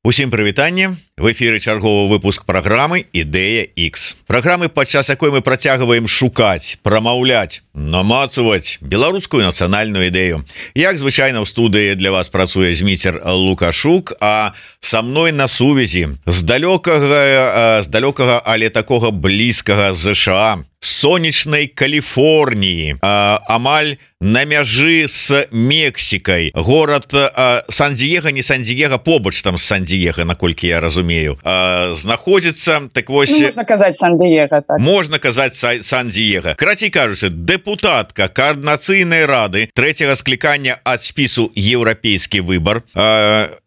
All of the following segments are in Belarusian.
Усім прывітанне, в эфіры чарговы выпуск праграмы Ідэя X. Праграмы, падчас якой мы працягваем шукаць, прамаўляць, намацаваць беларускую нацыянальную ідэю. Як звычайна ў студыі для вас працуе Зміцер Лукашук, а са мной на сувязі з далёкага, але такога блізкага ЗША, сонечнай Каліфорніі, амаль на мяжы з Мексікай, горад Сан-Диего, не Сан-Диего, побач там з Сан-Диего, наколькі я разумею, знаходзіцца, так вось... Можна казаць Сан-Диего, так. Можна казаць Сан-Диего. Карацей кажучы, дэпутатка Координацыйнай рады трэцяга склікання ад спісу «Еўрапейскі выбар»,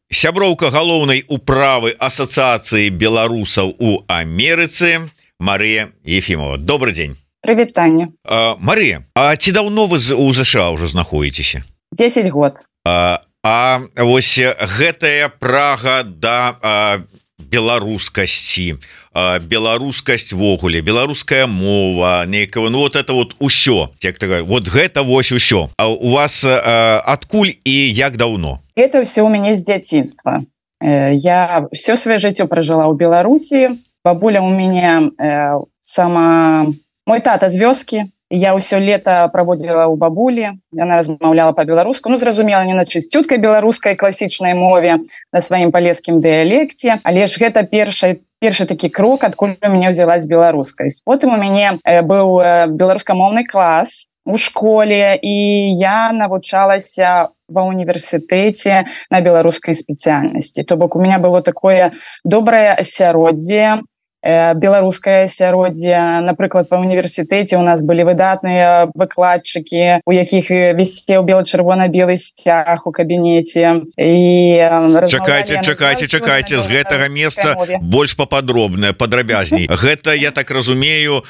сяброўка галоўнай управы Асацыяцыі беларусаў у Амерыцы Марыя Ефімова. Добрый день. Прывітанне. Марыя, а ці даўно вы у ЗША ўжо знаходзіцеся? 10 год. Вось гэтая прага да беларускасці, беларускасць вогуле, беларуская мова, нейкага, ну вот это вот усё, вот гэта вось усё. А у вас адкуль і як даўно? Это все у мяне з дзяцінства. Я все сваё жыццё пражыла ў Беларусі. Бабуля у мяне мой тата з вёскі. Я ўсё лета праводзіла ў бабулі. Яна размаўляла па-беларуску. Ну, зразумела, не на чысцюткай беларускай класічнай мове, на сваім палескім дыялекце. Але ж гэта першы такі крок, адкуль у мяне ўзялась беларускасць. Потым у мяне быў беларускамоўны клас у школе, і я навучалася ва універсітэце на беларускай спецыяльнасці. То бок у меня было такое добрае асяроддзе, беларускае асяроддзе. Напрыклад, ва універсітэце у нас былі выдатныя выкладчыкі, у якіх вісеў бела-чырвона-белы сцяг у кабінеце. Чакайце, з гэтага месца больш пападробна, падрабязней. Гэта, я так разумею,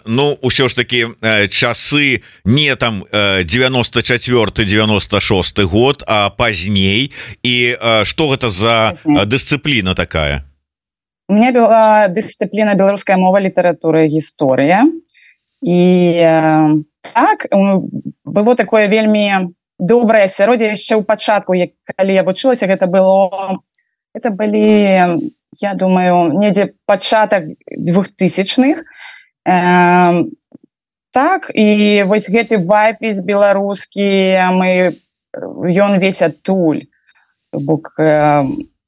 ну, ўсё ж такі часы не там 94-96 год, а пазней. І што гэта за дысцыпліна такая? У меня была дисциплина беларуская мова, литература и гісторыя. І так, было такое вельмі добрае асяроддзе яшчэ ў пачатку, калі я вучылася, гэта былі, я думаю, недзе пачатак 2000-х. Так, і вось гэты вайб весь беларускі, ён весь адтуль. Бок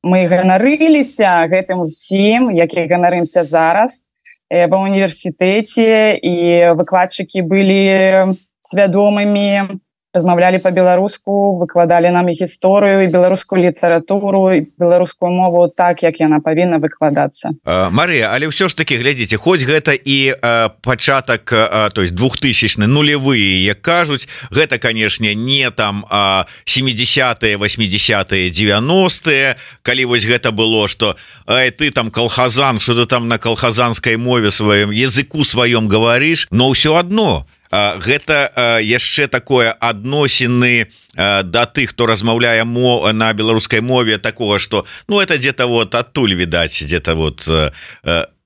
мы ганарыліся гэтым усім, як і ганарымся зараз ва універсітэце, і выкладчыкі былі свядомымі, размаўлялі па-беларуску, выкладалі нам і гісторыю, і беларускую літаратуру, і беларускую мову так, як яна павінна выкладацца. Марыя, але ўсё ж такі, глядзіце, хоць гэта і пачатак, то есть 2000-ны, нулевые, як кажуць, гэта, канешне, не там 70-е, 80-е, 90-е, калі вось гэта было, што ты там колхозан, што ты там на колхозанскай мове сваім, языку сваём говоришь, но ўсё адно гэта яшчэ такое адносіны да тых, хто размаўляе на беларускай мове, такого, што, ну, это где-то вот адтуль відаць, где-то вот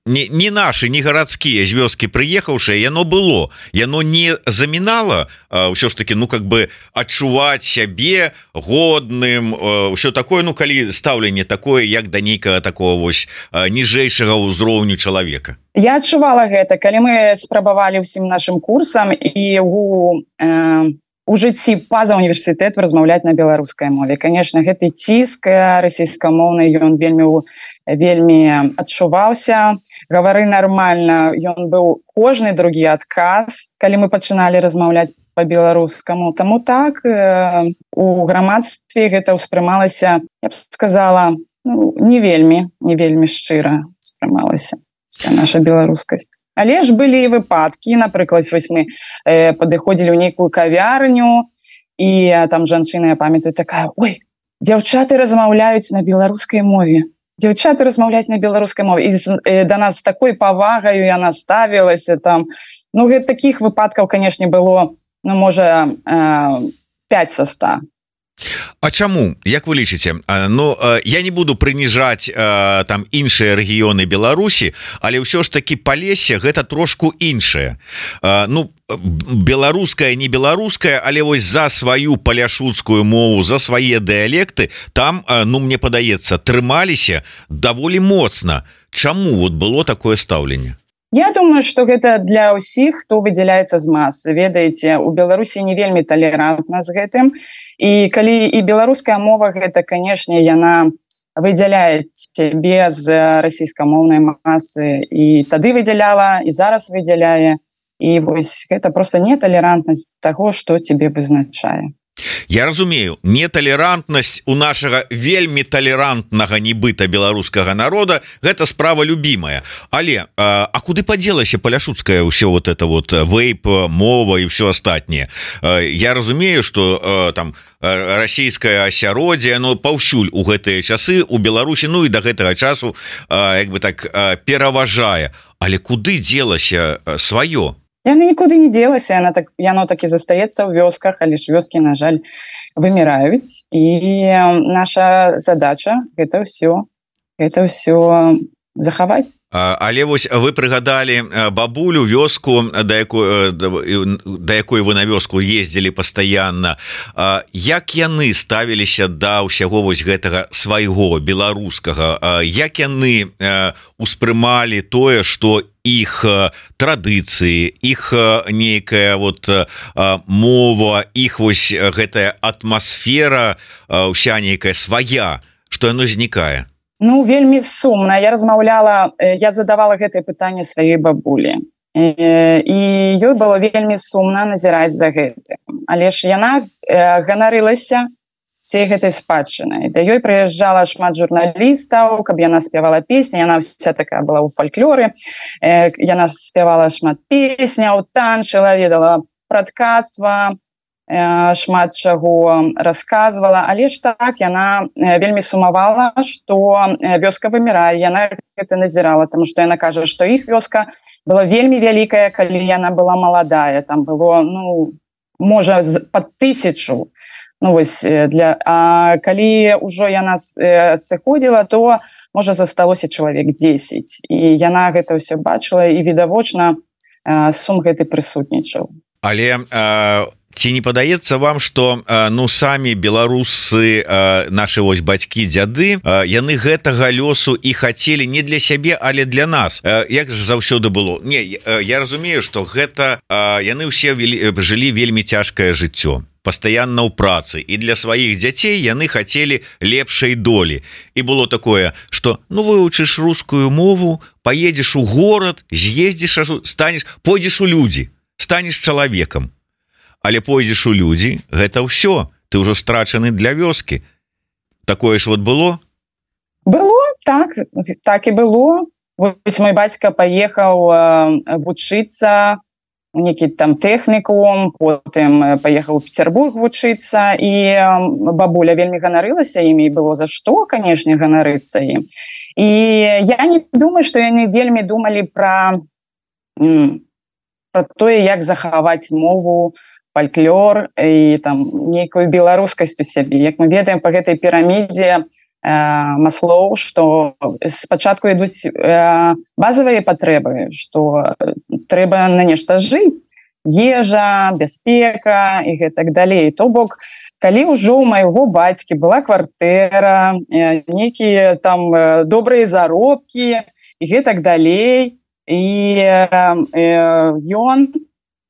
не наши, не гарадскія з вёскі прыехаўшыя, яно было, яно не замінала ўсё ж таки, ну, как бы адчуваць сябе годным, ўсё такое, ну, калі стаўленне такое, як да нейкага такого вось ніжэйшага ўзроўню чалавека. Я адчувала гэта, калі мы спрабавалі ўсім нашым курсам і у жыцці па-за універсітэту размаўляць на беларускай мове. Конечно, гэты ціск расійскамоўны, ён вельмі адчуваўся. Гавары нармальна, ён быў кожны другі адказ, калі мы пачыналі размаўляць па-беларускаму. Таму так, у грамадстве гэта ўспрымалася, я б сказала, ну, не вельмі шчыра ўспрымалася вся наша беларускасць. Але ж былі і выпадкі, напрыклад, вось мы падыходзілі ў нейкую кавярню, і там жанчына, я памятаю, такая: ой, дзяўчаты размаўляюць на беларускай мове. Дзяўчаты размаўляюць на беларускай мове. І да нас з такой павагаю яна ставілася там. Ну, такіх выпадкаў, канешне, было, ну, можа, 5 са 100. А чаму, як вы лічыце? Ну я не буду прыніжаць там іншыя рэгіёны Беларусі, але ўсё ж таки Палессе гэта трошку іншае. Ну беларуская не беларуская, але вось за сваю паляшуцкую мову, за свае дыялекты там, ну мне падаецца, трымаліся даволі моцна. Чаму вот было такое стаўленне? Я думаю, что гэта для ўсіх, хто выдзяляецца з масы. Ведаеце, у Беларусі не вельмі талерантна з гэтым. І калі і беларуская мова, гэта, канешне, яна выдзяляе цябе з расійскамоўнай масы. І тады выдзяляла, і зараз выдзяляе. І вось гэта проста неталерантнасць таго, што цябе вызначае. Я разумею, неталерантнасць у нашага вельмі талерантнага нібыта беларускага народа гэта справа любімая. Але а куды падзелася паляшуцкая ўсё вот это вот вейп, мова і ўсё астатняе? Я разумею, что там расійскае асяроддзе, но паўсюль у гэтыя часы у Беларусі, ну і да гэтага часу як бы так пераважае. Але куды дзелася сваё? Яна нікуды не дзелася, яно так і застаецца ў вёсках, але ж вёскі, на жаль, выміраюць. І наша задача гэта ўсё захаваць. Але вось вы прыгадалі бабулю, вёску, да якой вы на вёску ездзілі пастаянна. Як яны ставіліся да ўсяго вось гэтага свайго беларускага? Як яны успрымалі тое, што іх традыцыі, іх нейкая вот мова, іх вось гэтая атмасфера ўся нейкая свая, што яно знікае? Ну, вельмі сумна. Я задавала гэтае пытанне сваёй бабулі. І ёй было вельмі сумна назіраць за гэтым. Але ж яна ганарылася всей гэтай спадчынай. Да ёй прыязджала шмат журналістаў, каб яна спявала песні. Яна вся такая была ў фальклоры. Яна спявала шмат песняў, танчыла, ведала пра ткацтва, шмат чаго расказвала, але ж так яна вельмі сумавала, што вёска вымірае. Яна гэта назірала, таму што яна кажа, што іх вёска была вельмі вялікая, калі яна была маладая. Там было, ну, можа, пад 1000. Ну вось а калі ўжо яна сыходзіла, то можа засталося чалавек 10. І яна гэта ўсё бачыла, і відавочна сум гэты прысутнічаў. Але ці не падаецца вам, што ну самі беларусы, нашы вось бацькі, дзяды, яны гэтага лёсу і хацелі не для сябе, але для нас? Як ж заўсёды было? Не, я разумею, што гэта яны ўсе жылі вельмі цяжкае жыццё, пастаянна ў працы, і для сваіх дзяцей яны хацелі лепшай долі. І было такое, што ну вывучыш рускую мову, паедзеш у горад, з'ездзіш, пойдзеш у людзі, станеш чалавекам. Але пойдзеш у людзі, гэта ўсё, ты ўжо страчаны для вёскі. Такое ж вот было? Было, так і было. Вось мой бацька паехаў вучыцца у некі там тэхнікум, потым паехаў у Петербург вучыцца, і бабуля вельмі ганарылася імі, было за што, канешне, ганарыцца ім. І я не думаю, што яны вельмі думалі пра тое, як захаваць мову, фальклор і там нейкую беларускасць у сябе. Як мы ведаем па гэтай пірамідзе Маслоў, што спачатку ідуць базавыя патрэбы, што трэба на нешта жыць, ежа, бяспека і гэтак далей. То бок, калі ўжо ў майго бацькі была кватэра, нейкія там добрыя заробкі і гэтак далей, і ён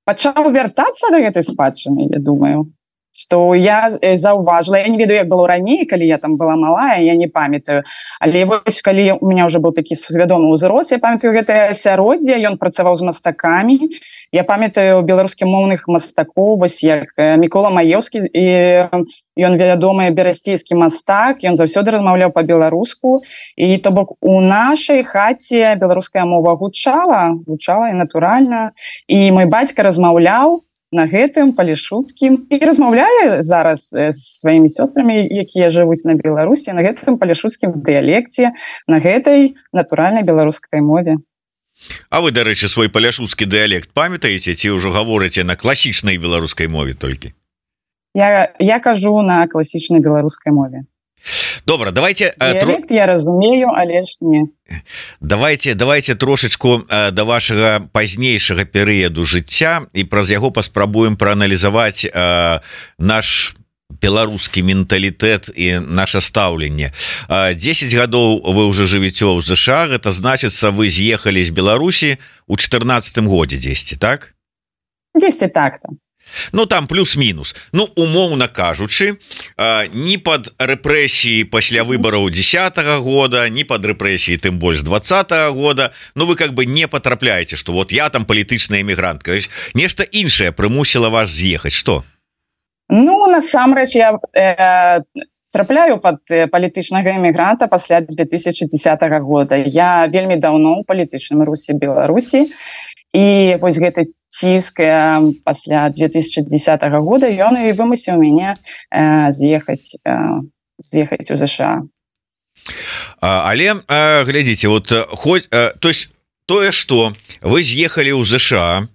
пачаў вяртацца да гэтай спадчыны, я думаю, што я заўважыла. Я не ведаю, як было раней, калі я там была малая, я не памятаю. Але вось калі у меня ўжо быў такі свядомы ўзрост, я памятаю гэтае асяроддзе, ён працаваў з мастакамі. Я памятаю беларускамоўных мастакоў, вось як Мікола Маеўскі, і ён вядомы берасцейскі мастак, ён заўсёды размаўляў па-беларуску, і то бок у нашай хаце беларуская мова гучала і натуральна, і мой бацька размаўляў на гэтым палешуцкім і размаўляе зараз з сваімі сёстрамі, якія жывуць на Беларусі, на гэтым палешуцкім дыялекце, на гэтай натуральнай беларускай мове. А вы, дарэчы, свой паляшуцкі дыялект памятаеце, ці ўжо гаворыце на класічнай беларускай мове толькі? Я кажу на класічнай беларускай мове. Добра, давайте я разумею, але ж не. Давайте трошечку до вашага пазнейшага перыяду жыцця і праз яго паспрабуем прааналізаваць наш беларускі менталітэт і наше стаўленне. 10 гадоў вы уже жывеце ў ЗША, гэта значыцца вы з'ехалі з Беларусі у 14 годзе 10, так? 10 так-то. Ну там плюс-мінус. Ну умоўна кажучы, ні пад рэпрэсіі пасля выбараў 10-го года, ні пад рэпрэсіі тым больш 20-го года, ну вы как бы не потрапляеце, што вот я там палітычная эмігрантка. Нешта іншае прымусіла вас з'ехаць, што? Ну насамрэч я трапляю пад палітычнага эмігранта пасля 2010 года. Я вельмі даўно ў палітычным рухе Беларусі, і вось гэты ціск пасля 2010 года ён і вымусіў мяне з'ехаць у ЗША. Але глядзіце, вот хоть то есть тое, што вы з'ехалі ў ЗША,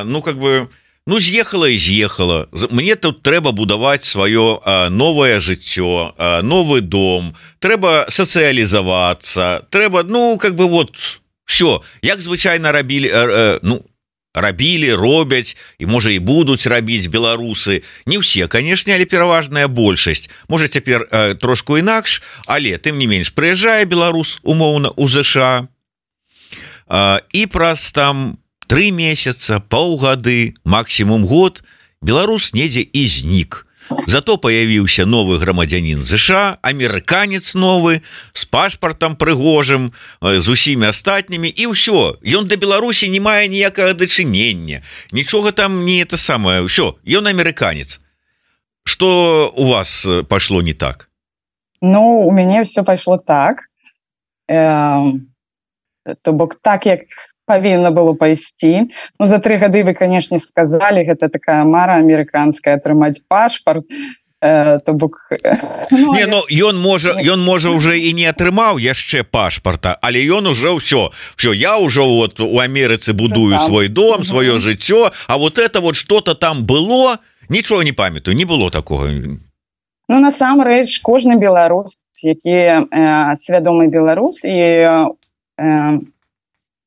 ну как бы з'ехала і з'ехала. Мне тут трэба будаваць сваё новае жыццё, новы дом, трэба сацыялізавацца, трэба, ну как бы вот все, як звычайна робяць і можа і будуць рабіць беларусы. Не ўсе, канешне, але пераважная большасць. Можа цяпер трошку інакш, але тым не менш прыязджае беларус умоўна ў ЗША і праз там 3 месяца, паўгады, максімум год беларус недзе і знік. Зато появіўся новы грамадзянін ЗША, амерыканец новы, з пашпартам прыгожым, з усімі астатнімі, і ўсё. Ён да Беларусі не мае ніякага дачынення. Нічога там не это самае. Ўсё, ён амерыканец. Што у вас пайшло не так? Ну, у мяне ўсё пайшло так. То бок так, як павінна было пайсці. Ну, за 3 гады вы, канешне, сказалі, гэта такая мара амерыканская, атрымаць пашпарт. То бок... Не, ну, ён можа уже і не атрымаў яшчэ пашпарта, але ён уже ўсё, я ўжо вот у Амерыцы будую свой дом, сваё жыццё, а вот это вот что-то там было, нічога не памятаю, не было такого. Ну, насамрэч, кожны беларус, які свядомы беларус, і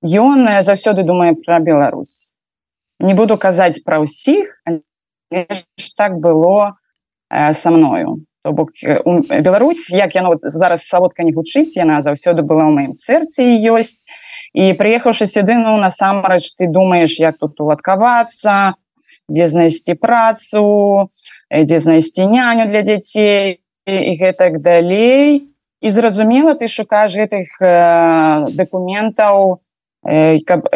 ён заўсёды думае пра Беларусь. Не буду казаць пра ўсіх, але так было са мною. То бок Беларусь, як яно зараз салодка не гучыць, яна заўсёды была ў маім сэрцы і ёсць. І прыехаўшы сюды, ну, насамрэч, ты думаеш, як тут уладкавацца, дзе знайсці працу, дзе знайсці няню для дзяцей і гэтак далей. І зразумела, ты шукаеш гэтых дакументаў, каб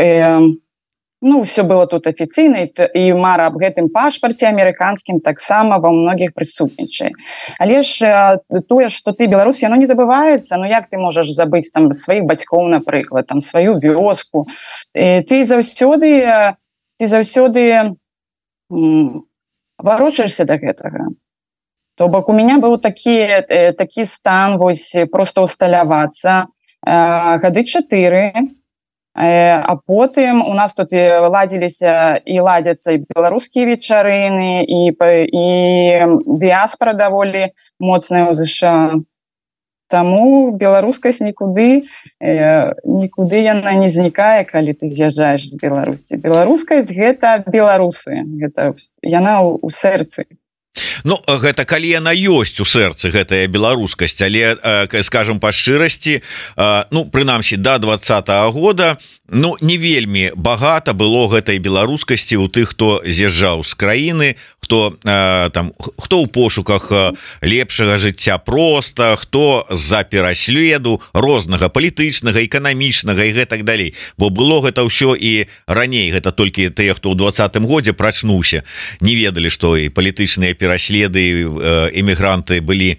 ну, все было тут афіцыйна, і мара аб гэтым пашпарце амерыканскім таксама ва многіх прысутнічае. Але ж тое, што ты беларус, яно не забываецца. Ну як ты можаш забыць там сваіх бацькоў, напрыклад, там сваю вёску? Ты заўсёды варочаешся да гэтага. То бок у меня быў такі стан, вось проста усталявацца гады 4. А потым у нас тут ладзіліся і ладзяцца і беларускія вечарыны, і дыяспара даволі моцная ў ЗША. Таму беларускасць нікуды яна не знікае, калі ты з'язджаеш з Беларусі. Беларускасць гэта беларусы, яна ў сэрцы. Ну, гэта калі яна ёсць у сэрцы, гэтая беларускасць, але, скажем па шчырасці, ну, прынамсі, да 20-го года, ну, не вельмі багата было гэтай беларускасці ў тых, хто з'язджаў з краіны, хто ў пошуках лепшага жыцця проста, хто з-за пераследу рознага палітычнага, эканамічнага і гэтак далей. Бо было гэта ўсё і раней, гэта толькі тыя, хто ў 20-м годзе прачнуўся, не ведалі, што і палітычныя пераследы эмігранты былі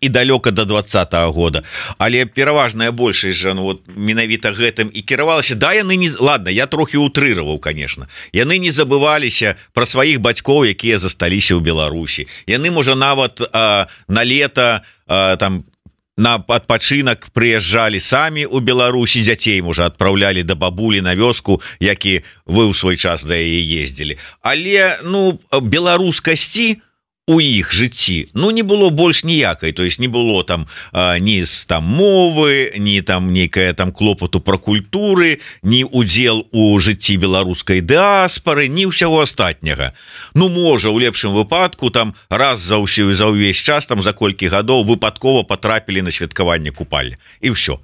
і далёка до 20-го года, але пераважная большасць жа, ну, вот, менавіта гэтым і кіравалася. Да, яны не... Ладно, я трохі утрыраваў, конечно. Яны не забываліся пра сваіх бацькоў, якія засталіся ў Беларусі. Яны, можа, нават на лета там на адпачынак прыязджалі самі ў Беларусі, дзяцей, можа, адпраўлялі да бабулі на вёску, які вы ў свой час да яе ездзілі. Але, ну, беларускасці у іх жыцці ну не было больш ніякай, то есть не было там ні з там мовы, ні там нейкая там клопату пра культуры, ні удзел у жыцці беларускай дыаспары, ні ўсяго астатняга. Ну можа у лепшым выпадку там раз за ўсё за ўвесь час там за колькі гадоў выпадкова патрапілі на святкаванне купальня і ўсё,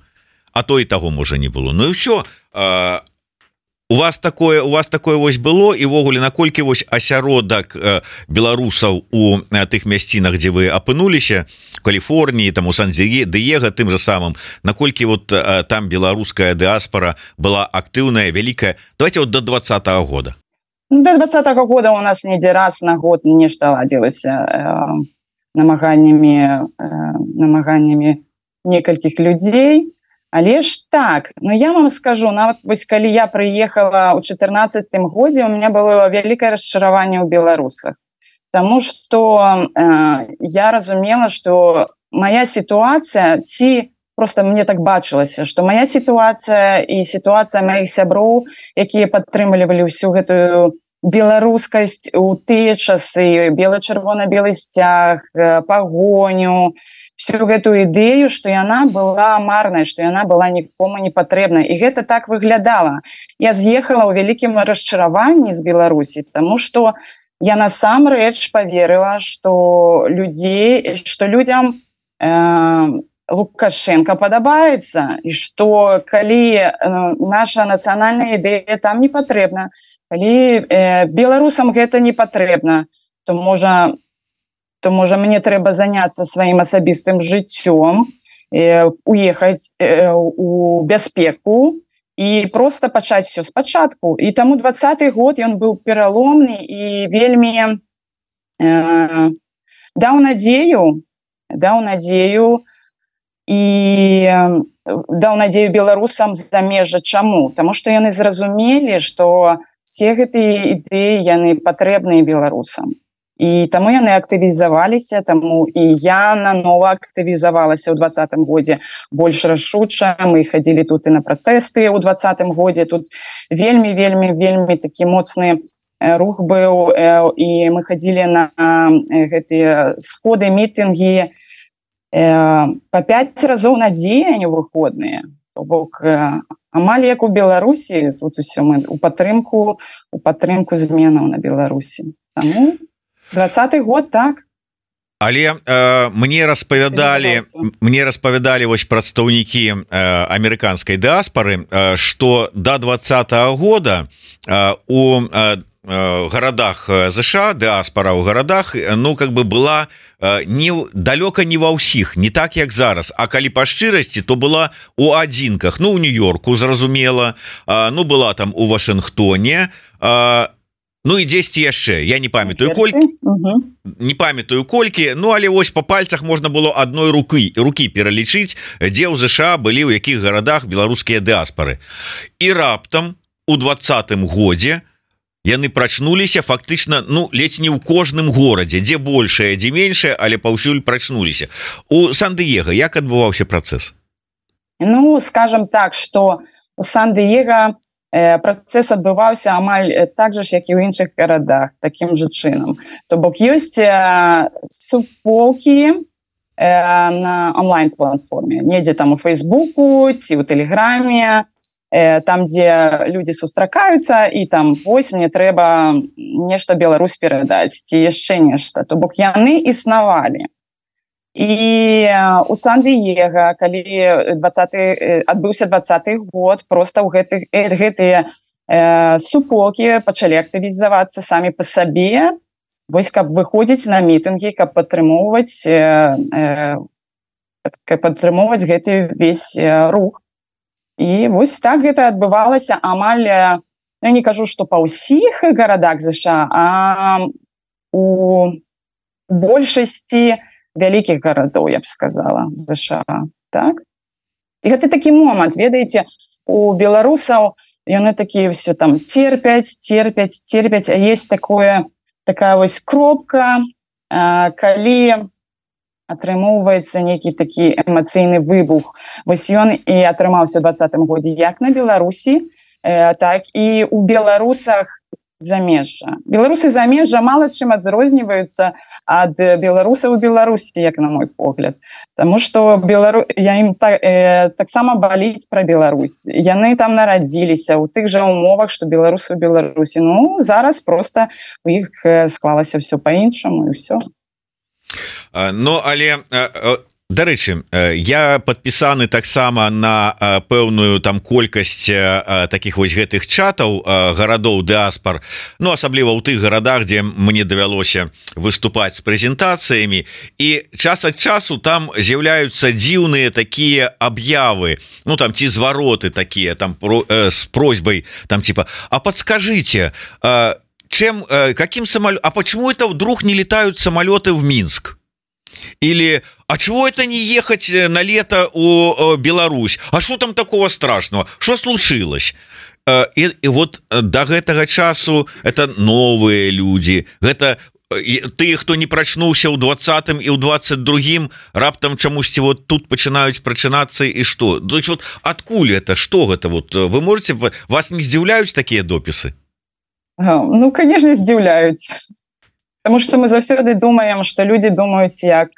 а то і таго можа не было. Ну і ўсё. У вас такое вось было, і ввогуле наколькі вось асяродак беларусаў у тых мясцінах, дзе вы апынуліся, Каліфорніі, там у Сан-Дыега тым же самым, наколькі вот там беларуская дыаспара была актыўная, вялікая? Давайте вот до 20-го года. До 20-го года у нас недзе раз на год нешта ладзілася намаганнямі некалькіх людзей. Але ж так, ну я вам скажу, нават вось калі я прыехала ў 14-м годзе, у меня было вялікае расчараванне ў беларусах. Таму што я разумела, што моя сітуацыя, ці просто мне так бачылася, што моя сітуацыя і сітуацыя маіх сяброў, якія падтрымлівалі ўсю гэтую беларускасць у тыя часы, бело-чырвона-белы сцяг, пагоню, всю гэтую ідэю, што яна была марнай, што яна была нікому не патрэбна. І гэта так выглядала. Я з'ехала ў вялікім расчараванні з Беларусі, таму што я насамрэч паверыла, што людзям Лукашенко падабаецца, і што калі наша нацыянальная ідэя там не патрэбна, калі беларусам гэта не патрэбна, то можа мне трэба заняцца сваім асабістым жыццём, уехаць у бяспеку і проста пачаць все спачатку. І таму 20-й год ён быў пераломны і вельмі даў надзею беларусам з замежжа. Чаму? Таму што яны зразумелі, што все гэтыя ідэі яны патрэбныя беларусам. І таму яны актывізаваліся, таму і я нанова актывізавалася ў 20-м годзе больш рашуча. Мы хадзілі тут і на працэсты ў 20-м годзе. Тут вельмі такі моцны рух быў, і мы хадзілі на гэтыя сходы, мітынгі па 5 разоў на дзень у выходныя. То бок амаль як у Беларусі, тут усё мы у падтрымку зменаў на Беларусі. Таму 20-й год, так. Але мне распавядалі вось прадстаўнікі амерыканскай дыаспары, што до 20-го года у гарадах ЗША, дыаспара ў гарадах, ну как бы была далёка не ва ўсіх, не так як зараз, а калі па шчырасці, то была у адзінках, ну у Нью-Йорку, зразумела, ну была там у Вашынгтоне, ну і дзесьці яшчэ, я не памятаю колькі, ну але вось па пальцах можна было адной рукі пералічыць, дзе ў ЗША былі, у якіх гарадах беларускія дыаспары. І раптам у 20-м годзе яны прачнуліся фактычна, ну ледзь не ў кожным горадзе, дзе большае, дзе меншае, але паўсюль прачнуліся. У Сан-Дыега як адбываўся працэс? Ну, скажем так, што у Сан-Дыега працэс адбываўся амаль так жа ж, як і ў іншых гарадах, такім жа чынам. То бок ёсць суполкі на онлайн-платформе, недзе там у Фейсбуку ці ў Тэлеграме, там, дзе людзі сустракаюцца, і там, вось, мне трэба нешта Беларусь перадаць, ці яшчэ нешта. То бок яны існавалі. І у Сан-Дыега, калі адбыўся 20-й год, проста гэтыя суполкі пачалі актывізавацца самі па сабе, вось каб выходзіць на мітынгі, каб падтрымоўваць гэты весь рух. І вось так гэта адбывалася амаль, я не кажу, што па ўсіх гарадах ЗША, а у большасці вялікіх гарадоў, я б сказала, ЗША, так? І гэта такі момант, ведаеце, у беларусаў яны такія ўсё там терпяць, а есть такая вось кропка, калі атрымоўваецца нейкі такі эмацыйны выбух. Вось ён і атрымаўся ў 20-м годзе як на Беларусі, так і у беларусах замежжа. Беларусы замежжа мало чым адрозніваюцца ад беларусаў у Беларусі, як на мой погляд. Таму што я ім таксама баліць пра Беларусь. Яны там нарадзіліся ў тых жа умовах, што беларусы ў Беларусі. Ну, зараз проста у іх склалася ўсё па-іншаму і ўсё. Ну, але... Дарэчы, я падпісаны таксама на пэўную там колькасць таких вось гэтых чатаў гарадоў дыаспар, ну асабліва ў тых гарадах, дзе мне давялося выступаць з прэзентацыямі, і час ад часу там з'яўляюцца дзіўныя такія аб'явы, ну там ці звароты такія там с просьбой там типа: а подскажите, каким самолетом, а почему это вдруг не летают самолеты в Минск? Или а чего это не ехать на лето у Беларусь? А что там такого страшного? Что случилось? И вот до гэтага часу это новые люди, это тыя, хто не прачнуўся ў 20-м і ў 22-м, раптам чамусьці вот тут пачынаюць прачынацца, і што? То есть вот адкуль это? Что гэта? Вот вы можете, вас не здзіўляюць такія допісы? Ну, конечно, здзіўляюць. Потому что мы заўсёды думаем, что люди думаюць, як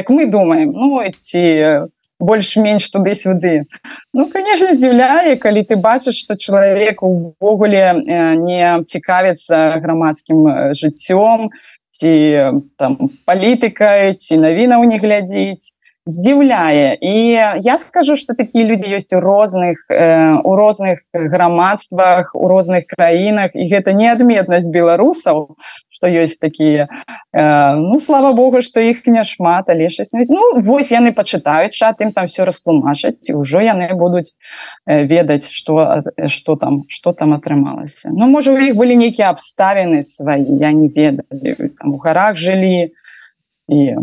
мы думаем, ну, ці больш-менш туды-сюды. Ну, конечно, здзіўляе, калі ты бачыш, што чалавек увогуле не цікавіцца грамадскім жыццём, ці там палітыкай, ці навінаў не глядзіць. Здзіўляе. І я скажу, што такія людзі ёсць у розных грамадствах, у розных краінах, і гэта не адметнасць беларусаў, што ёсць такія. Ну, слава Богу, што іх няшмат, але ну, вось яны пачытаюць чат, ім там все растлумачаць, і ўжо яны будуць ведаць, што там атрымалася. Ну, можа, у іх былі нейкія абставіны свае, я не ведаю, там у гарах жылі, і...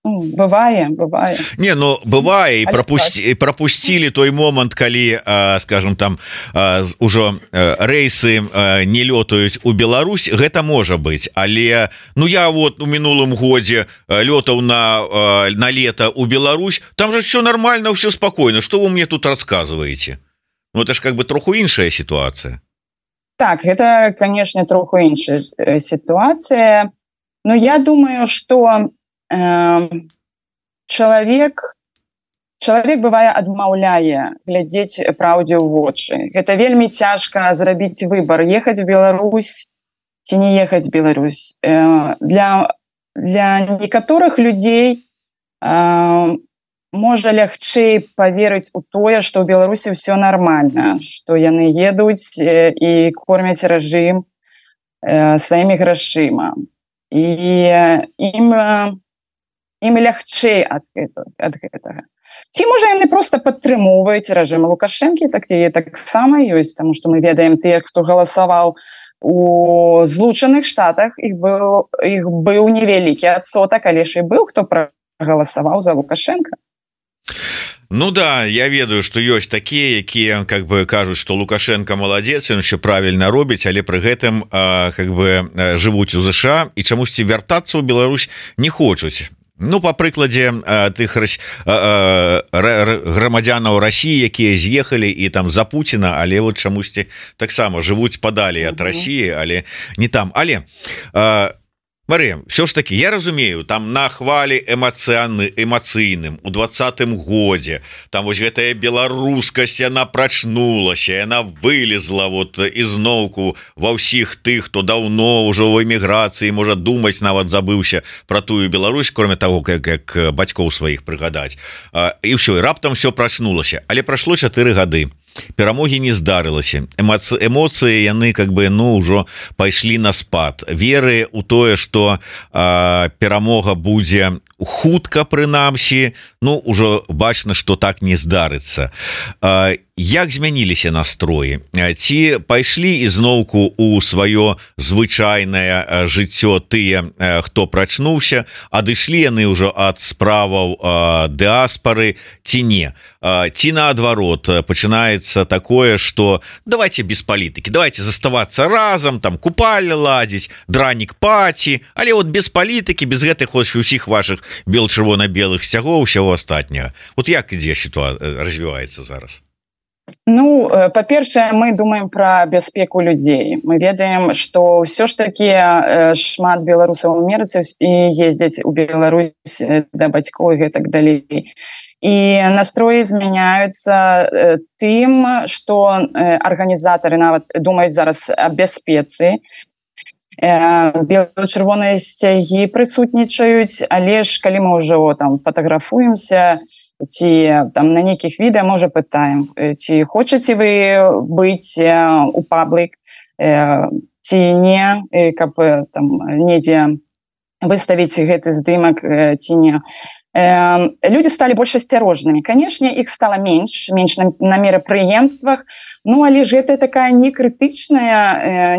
Ну, бывае. Не, ну бывае, і пропусцілі той момант, калі, скажем, там ужо рэйсы не лётаюць у Беларусь, гэта можа быць, але ну я вот у мінулым годзе лётаў на лето у Беларусь, там же все нормально, все спокойно, что вы мне тут рассказываете? Ну это ж как бы троху іншая ситуация. Так, гэта, конечно, троху іншая ситуация, но я думаю, что чалавек бывае адмаўляе глядзець праўдзе ў вочы. Гэта вельмі цяжка зрабіць выбар, ехаць в Беларусь ці не ехаць в Беларусь. Для некаторых людзей можа лягчэй паверыць у тое, што ў Беларусі ўсё нармальна, што яны едуць і кормяць рэжым сваімі грашыма. І ім лягчэй ад гэтага. Ці, можа, яны проста падтрымоўваюць рэжым Лукашэнкі, таксама ёсць, таму што мы ведаем тых, хто галасаваў у Злучаных Штатах, іх быў невялікі адсотак, але ж і быў, хто прагаласаваў за Лукашэнка. Ну да, я ведаю, што ёсць такія, якія как бы кажуць, што Лукашенко маладзец, ён еще правільна робіць, але пры гэтым как бы жывуць у ЗША і чамусьці вяртацца ў Беларусь не хочуць. Ну, по прыкладзе тых грамадзянаў России, якія з'ехалі і там за Путина, але вот чамусьці таксама жывуць падалей ад России, але не там. Але Марыя, все ж таки, я разумею, там на хвалі эмацыйным у 20-м годзе, там вось гэтая беларускасць, яна прачнулася, яна вылезла вот ізноўку ва ўсіх тых, хто даўно ўжо ў эміграцыі, можа думаць, нават забыўся пра тую Беларусь, кроме таго, як бацькоў сваіх прыгадаць. І ўсё, і раптам все прачнулася. Але прайшло 4 гады. Перамогі не здарылася, эмоцыі яны как бы ну ўжо пайшлі на спад, веры у тое, што перамога будзе хутка, прынамсі, ну ўжо бачна, што так не здарыцца. Як змяніліся настроі? Ці пайшлі ізноўку у сваё звычайнае жыццё тыя, хто прачнуўся, адышлі яны ўжо ад справаў дыаспары ці не? Ці наадварот пачынаецца такое, што давайте без палітыкі, давайте заставацца разам, там купальня ладзіць, дранік паці, але вот без палітыкі, без гэтых усіх ваших бел-чырвона-белых сцягоў, усяго астатняга. Вот як ідзе сітуацыя развіваецца зараз? Ну, па-першае, мы думаем пра бяспеку людзей. Мы ведаем, што ўсё ж такі шмат беларусаў у Амерыцы і ездзяць у Беларусь да бацькоў і гэтак далей. І настроі змяняюцца тым, што арганізатары нават думаюць зараз аб бяспецы. Бело-чырвоныя сцягі прысутнічаюць, але ж калі мы ўжо там фатаграфуемся, ці там на нейкіх відэа, можа, пытаем, ці хочаце вы быць у паблік, ці не, каб там недзе выставіць гэты здымак, ці не. Людзі сталі больш асцярожнымі. Канешне, іх стала менш на мерапрыемствах, ну, але ж гэта такая некрытычная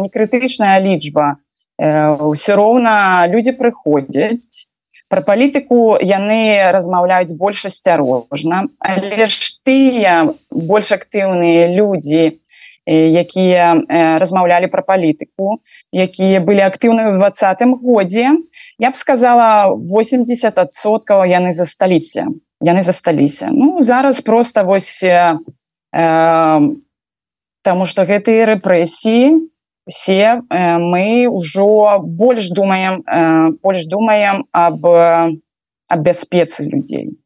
лічба. Усё роўна людзі прыходзяць. Пра палітыку яны размаўляюць больш асцярожна, але ж тыя больш актыўныя людзі, якія размаўлялі пра палітыку, якія былі актыўныя ў 2020 годзе, я б сказала, 80% яны засталіся. Ну, зараз проста вось таму што гэтыя рэпрэсіі, все мы ўжо больш думаем аб бяспецы людзей.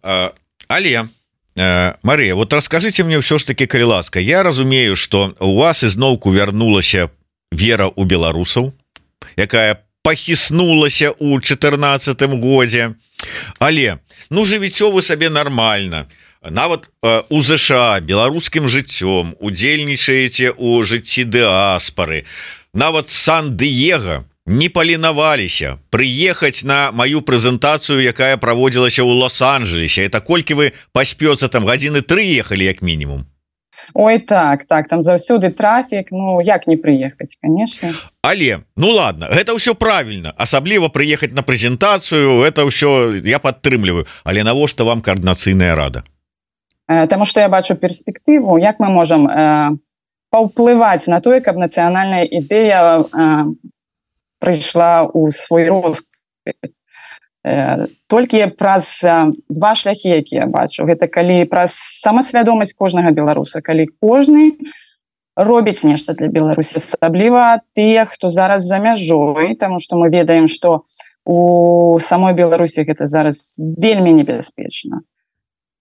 Але, Марыя, вот расскажыце мне ўсё ж таки, калі ласка, я разумею, што у вас ізноўку вярнулася вера ў беларусаў, якая пахіснулася ў 2014 годзе, але, ну, жывіццё вы сабе нармальна, нават у ЗША беларускім жыццём удзельнічаеце ў жыцці дыаспары, нават Сан-Дыега не паленаваліся прыехаць на маю прэзентацыю, якая праводзілася ў Лос-Анджелесе. Это колькі вы па спёце там гадзіны 3 ехалі як мінімум? Ой, так, там заўсёды трафік, ну, як не прыехаць, конечно. Але, ну ладно, гэта ўсё правільна, асабліва прыехаць на прэзентацыю, это ўсё я падтрымліваю, але навошта вам каардынацыйная рада? Таму што я бачу перспектыву, як мы можам паўплываць на тое, каб нацыянальная ідэя прыйшла ў свой росквіт. Толькі праз два шляхі, якія я бачу. Гэта калі праз самасвядомасць кожнага беларуса, калі кожны робіць нешта для Беларусі, асабліва тыя, хто зараз за мяжой, таму што мы ведаем, што у самой Беларусі гэта зараз вельмі небяспечна.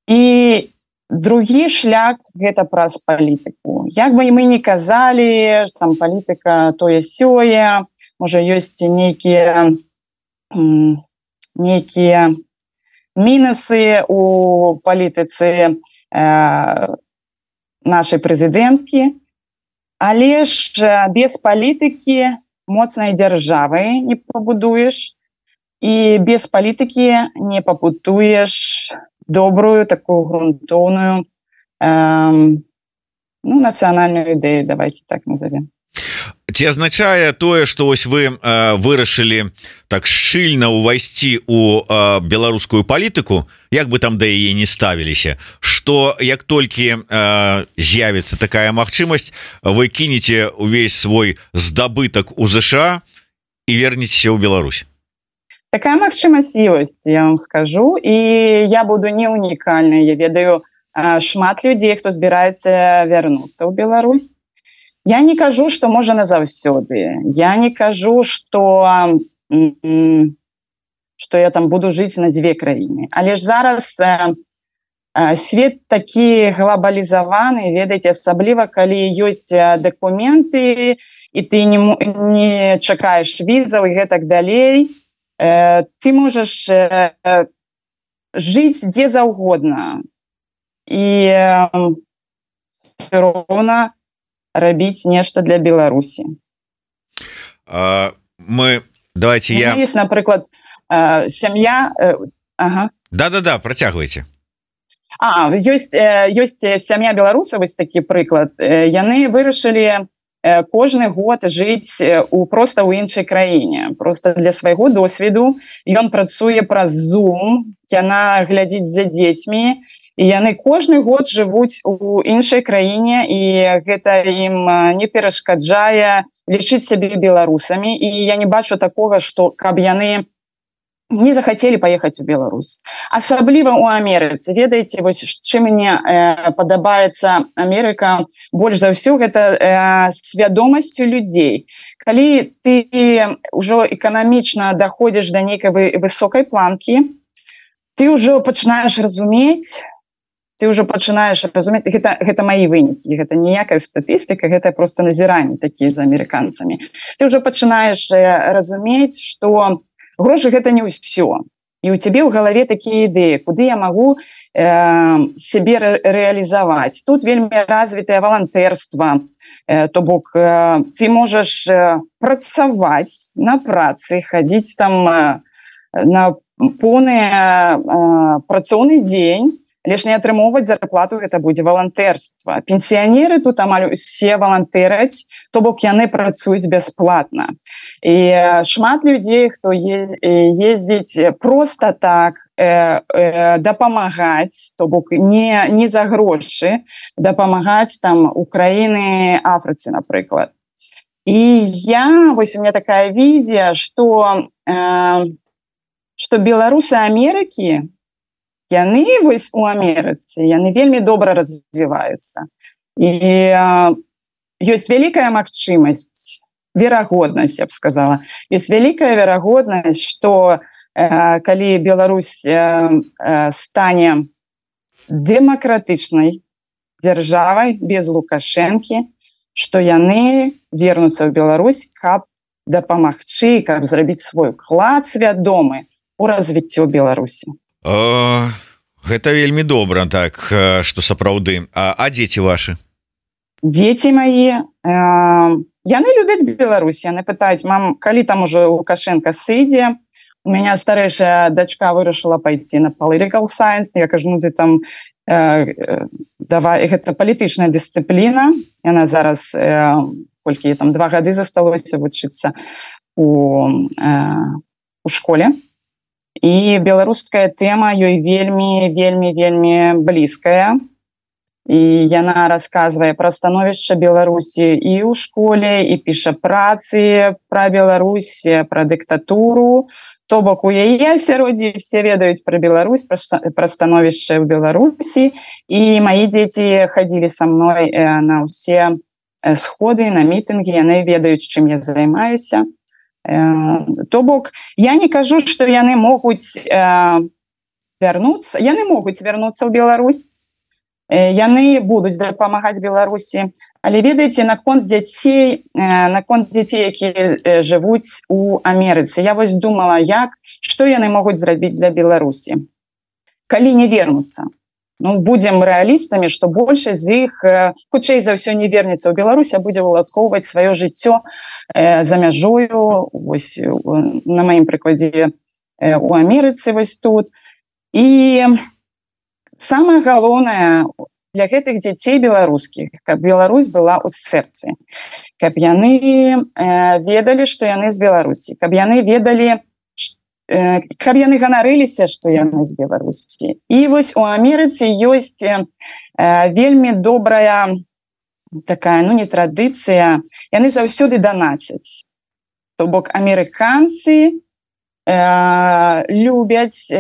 І другі шлях – гэта праз палітыку. Як бы мы не казалі, што там палітыка тое-сёе, можа, ёсць нейкія мінусы у палітыцы нашай прэзідэнткі, але ж без палітыкі моцнай дзяржавы не пабудуеш, і без палітыкі не пабудуеш добрую, такую грунтоўную нацыянальную ідэю, давайте так назовем. Ці азначае тое, што вось вы вырашылі так шчыльна ўвайсці ў беларускую палітыку, як бы там да яе не ставіліся, што як толькі з'явіцца такая магчымасць, вы кінеце ўвесь свой здабытак у ЗША і вернецеся ў Беларусь? Такая магчымасць ёсць, я вам скажу, і я буду не унікальнай. Я ведаю шмат людзей, хто збіраецца вярнуцца ў Беларусь. Я не кажу, што можа назаўсёды. Я не кажу, што я там буду жыць на дзве краіны. Але ж зараз свет такі глобалізаваны, ведаеце, асабліва, калі ёсць дакументы, і ты не чакаеш візаў і гэтак далей, ты можаш жыць дзе заўгодна. І все роўна рабіць нешта для Беларусі. Давайте я... Есть, напрыклад, сям'я... Да, працягвайце. Ёсць сям'я беларусаў, вось такі прыклад. Яны вырашылі кожны год жыць проста ў іншай краіне. Проста для свайго досведу. Ён працуе праз Zoom, яна глядзіць за дзецьмі, і яны кожны год жывуць у іншай краіне, і гэта ім не перашкаджае лічыць сябе беларусамі. І я не бачу такога, што каб яны не захацелі паехаць у Беларусь. Асабліва ў Амерыцы. Ведаеце, вось чым мне падабаецца Амерыка больш за ўсё, гэта свядомасцю людзей. Калі ты ўжо эканамічна даходзіш да нейкай высокай планкі, ты ўжо пачынаеш разумець, гэта маі вынікі, гэта ніякая статыстыка, гэта проста назіранні такія за амерыканцамі. Ты ўжо пачынаеш разумець, што грошы гэта не ўсё. І ў цябе ў галаве такія ідэі, куды я магу сябе рэалізаваць. Тут вельмі развітае валантэрства, то бок ты можаш працаваць на працы, хадзіць там на поўны працоўны дзень, але ж не атрымоўваць зарплату, гэта будзе валантэрства. Пенсіянеры тут амаль усе валантэраць, то бок яны працуюць бясплатна. І шмат людзей, хто ездзіць проста так дапамагаць, то бок не за грошы, дапамагаць там Украіны, Афрыцы, напрыклад. І вось у меня такая візія, што беларусы Амерыкі, яны вось у Амерыцы, яны вельмі добра развіваюцца. І ёсць вялікая магчымасць, верагоднасць, я б сказала, ёсць вялікая верагоднасць, што калі Беларусь стане дэмакратычнай дзяржавай без Лукашэнкі, што яны вернуцца ў Беларусь, каб дапамагчы, каб зрабіць свой уклад свядомы у развіццё Беларусі. Гэта вельмі добра, так, што сапраўды. А дзеці вашы? Дзеці мае, яны любяць Беларусь, яны пытаюць: мам, калі там ужо Лукашенко сыдзе? У мяне старэйшая дачка вырашыла пайти на political science. Я кажу, там давай, гэта палітычная дысцыпліна. Яна зараз, колькі там 2 гады засталося вучыцца у школе. І беларуская тэма ёй вельмі блізкая. І яна расказвае пра становішча Беларусі і ў школе, і піша працы пра Беларусь, пра дыктатуру. То бок у яе асяроддзі все ведаюць пра Беларусь, пра становішча ў Беларусі. І мае дзеці хадзілі са мной на ўсе сходы, на мітынгі, яны ведаюць, чым я займаюся. То бок, я не кажу, што яны могуць вярнуцца. Яны могуць вярнуцца ў Беларусь. Яны будуць дапамагаць Беларусі. Але ведаеце, наконт дзяцей, якія жывуць у Амерыцы. Я вось думала, што яны могуць зрабіць для Беларусі, калі не вернуцца. Будзем рэалістамі, што большасць з іх, хутчэй за ўсё, не вернецца ў Беларусь, а будзе уладкоўваць сваё жыццё за мяжою, вось на маім прыкладзе у Амерыцы, вось тут. І самае галоўнае для гэтых дзяцей беларускіх, каб Беларусь была ў сэрцы, каб яны ведалі, што яны з Беларусі, каб яны ведалі, каб яны ганарыліся, што яны з Беларусі. І вось у Амерыцы ёсць вельмі добрая такая, не традыцыя, яны заўсёды данацяць. То бок амерыканцы любяць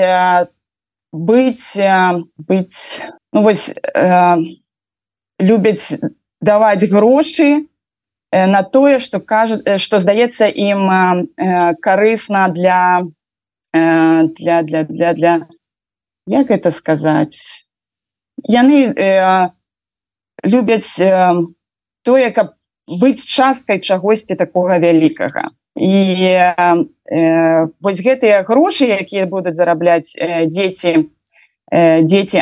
любяць даваць грошы на тое, што здаецца ім карысна для як гэта сказаць? Яны любяць тое, каб быць часткай чагосьці такога вялікага. І вось гэтыя грошы, якія будуць зарабляць дзеці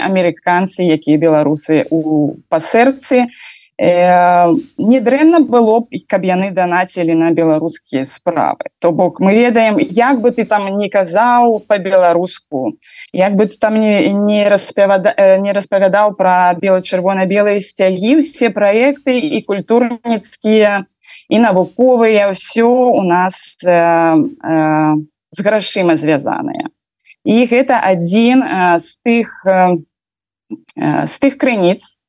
амерыканцы, якія беларусы па сэрцы, недрэнна было б, каб яны данацілі на беларускія справы. То бок мы ведаем, як бы ты там не казаў па-беларуску, як бы ты там не распавядаў пра чырвона-белыя сцягі, усе праекты і культурніцкія, і навуковыя, ўсё у нас з грашыма звязаныя. І гэта адзін з тых крыніц,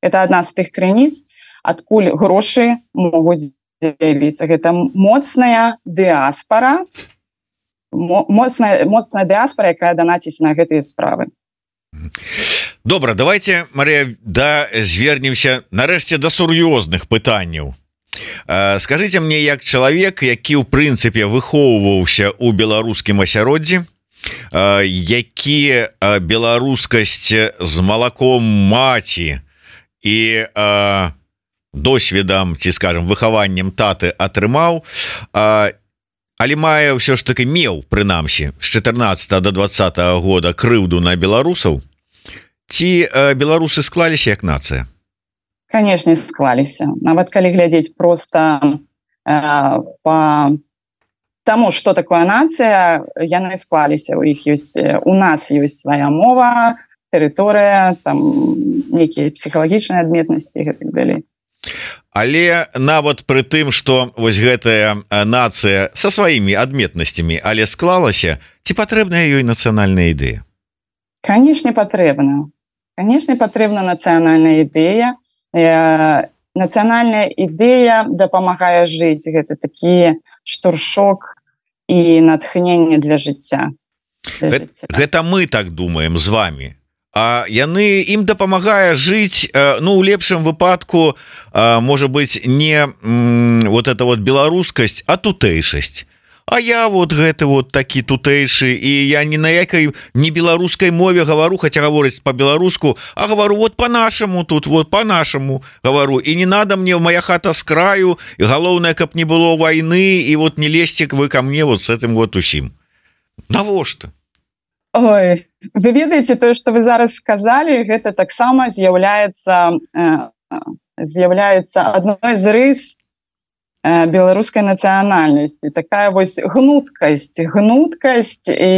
это одна з тых крыніц, адкуль грошы могуць з'явіцца. Гэта моцная дыаспара, моцная дыаспора, якая данаціць на гэтыя справы. Добра, давайте, Марія, звернемся нарэшце да сур'ёзных пытанняў. Скажите мне, як чалавек, які ў прынцыпе выхоўваўся ў беларускім асяроддзі, які беларускасць з малаком маці і досведам, ці скажем, выхаваннем таты атрымаў, але мае ўсё ж таки меў, прынамсі, з 14 до 20 года крыўду на беларусаў, ці беларусы склаліся як нацыя? Канешне, склаліся. Нават калі глядзець проста по тому, што такое нацыя, яны склаліся. У нас ёсць свая мова, тэрыторыя, там нейкія псіхалагічныя адметнасці і гэтак далей. Але нават пры тым, што вось гэтая нацыя са сваімі адметнасцямі, але склалася, ці патрэбная ёй нацыянальная ідэя? Канешне, патрэбна. Канешне, патрэбна нацыянальная ідэя. Нацыянальная ідэя дапамагае жыць. Гэта такі штуршок і натхненне для жыцця. Гэта мы так думаем з вами. А яны ім дапамагае жыць, ну, у лепшым выпадку, можа быць, не вот эта вот беларускасць, а тутэйшасць. А я вот гэты вот такі тутэйшы, і я ні на якай не беларускай мове гавару, хаця гаворыць по-беларуску, а гавару вот по-нашаму тут, вот по-нашаму гавару. І не надо мне, моя хата з краю, і галоўнае, каб не было вайны, і вот не лезьце вы ко мне вот с этим вот усім. Навошта? Ой, вы ведаеце, тое, што вы зараз сказалі, гэта таксама з'яўляецца адной з рыс беларускай нацыянальнасці. Такая вось гнуткасць і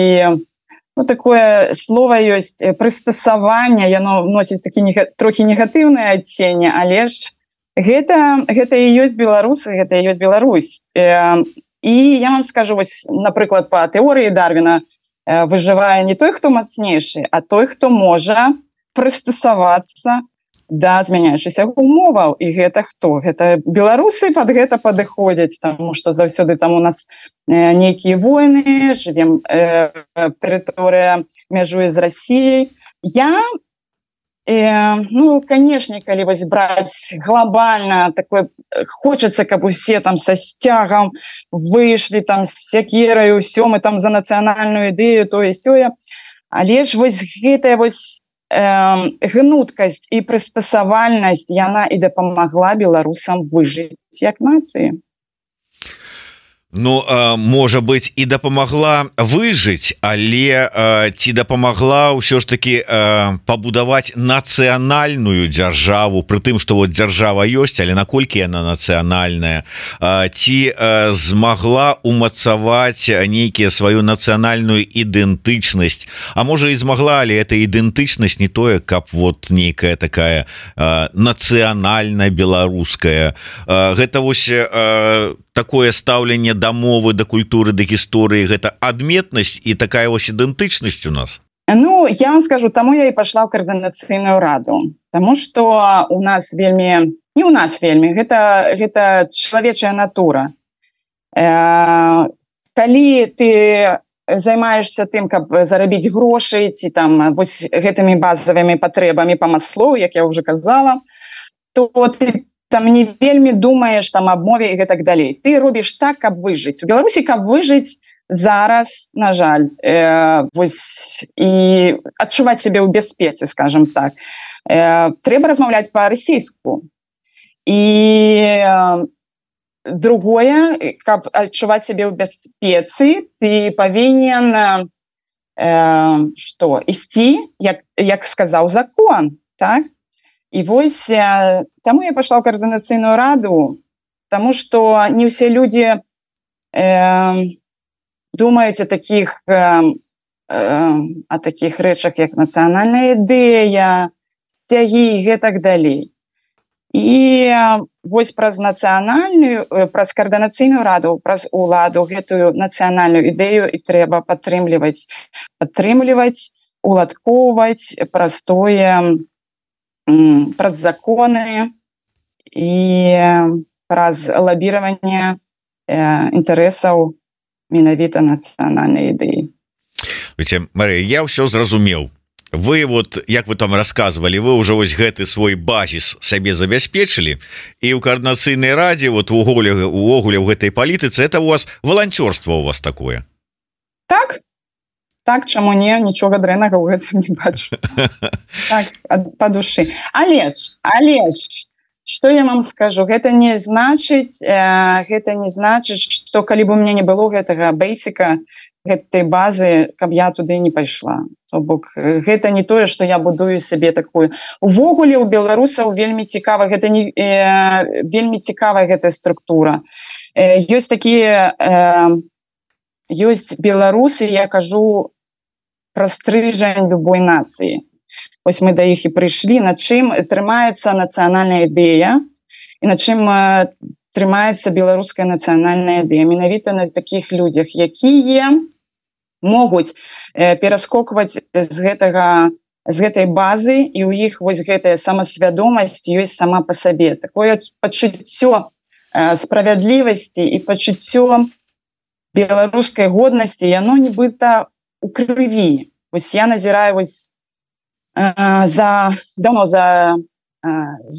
ну, такое слово ёсць прыстасаванне, яно носіць такі трохі негатыўнае адценне, але ж гэта і ёсць беларусы, гэта і ёсць Беларусь. І я вам скажу, вось, напрыклад, па тэорыі Дарвіна выжывае не той, хто мацнейшы, а той, хто можа прыстасавацца да змяняючыся умоваў. І гэта хто? Гэта беларусы пад гэта падыходзяць, таму што заўсёды там у нас нейкія войны, жывем, тэрыторыя мяжуе з Расіяй. Ну, канешне, калі вось браць глобальна, такое хочацца, каб усе там са сцягам выйшлі там з сякерай, усё, мы там за нацыянальную ідэю, тое сёе. Але ж вось гэтая вось гнуткасць і прыстасавальнасць, яна і дапамагла беларусам выжыць як нацыі. Ну, можа быць, і дапамагла выжыць, але ці дапамагла ўсё ж таки пабудаваць нацыянальную дзяржаву, пры тым, што вот дзяржава ёсць, але наколькі яна нацыянальная, ці змагла умацаваць нейкія сваю нацыянальную ідэнтычнасць, а можа і змагла, але эта ідэнтычнасць не тое, каб вот нейкая такая нацыянальная беларуская. Гэта вось такое стаўленне да мовы, да культуры, да гісторыі, гэта адметнасць і такая вось ідэнтычнасць у нас? Ну, я вам скажу, таму я і пайшла ў каардынацыйную раду. Таму што у нас вельмі, не у нас вельмі, гэта чалавечая натура. Калі ты займаешься тым, каб зарабіць грошай, ці там вось гэтымі базавымі патрэбамі па Маслоу, як я ўжо казала, то ты там не вельмі думаеш там аб мове і гэтак далей. Ты робіш так, каб выжыць. У Беларусі, каб выжыць зараз, на жаль, вось, і адчуваць сябе ў бяспецы, скажем так, трэба размаўляць па-расійску. І другое, каб адчуваць сябе ў бяспецы, ты павінен ісці, як сказаў закон, так? І вось таму я пайшла ў каардынацыйную раду, таму што не ўсе людзі думаюць о такіх рэчах, як нацыянальная ідэя, сцягі і гэтак далей. І вось праз каардынацыйную раду, праз уладу гэтую нацыянальную ідэю і трэба падтрымліваць, уладкоўваць праз тое, праз законы і праз лабіраванне інтарэсаў менавіта нацыянальнай ідэі. Марыя, я ўсё зразумеў. Вы вот, як вы там рассказывали, вы уже вось гэты свой базис сабе забяспечылі, і ў координацыйнай радзе вот увогуле ў гэтай палітыцы это у вас волонцёрство у вас такое? Так, чаму не, нічога дрэннага ў гэтым не бачу. Так, па душы. Але ж, што я вам скажу, гэта не значыць, што калі бы у мяне не было гэтага бейсіка, гэтай базы, каб я туды не пайшла. То бок гэта не тое, што я будую сабе такую. Увогуле у беларусаў вельмі цікава, гэта не вельмі цікавая гэтая структура. Ёсць такія ёсць беларусы, я кажу пра стрыжань любой нацыі. Вось мы да іх і прыйшлі, на чым трымаецца нацыянальная ідэя і на чым трымаецца беларуская нацыянальная ідэя. Менавіта на такіх людзях, якія могуць пераскокваць з гэтай базы, і ў іх вось гэтая самасвядомасць ёсць сама па сабе. Такое пачуццё справядлівасці і пачуццё беларускай годнасці, яно нібыта у крыві. Вось я назіраю вось давно за